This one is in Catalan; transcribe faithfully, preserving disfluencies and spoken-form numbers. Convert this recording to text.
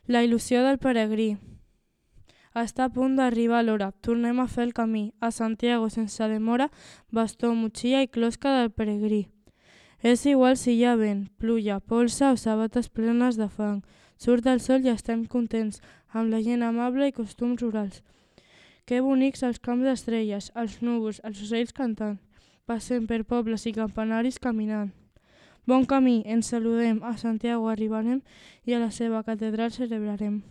La il·lusió del peregrí. Està a punt d'arribar l'hora. Tornem a fer el camí. A Santiago sense demora, bastó, motxilla i closca del peregrí. És igual si hi ha vent, pluja, polsa o sabates plenes de fang. Surt el sol i estem contents, amb la gent amable i costums rurals. Que bonics els camps d'estrelles, els núvols, els ocells cantant. Passem per pobles i campanaris caminant. Bon camí, ens saludem, a Santiago arribarem i a la seva catedral celebrarem.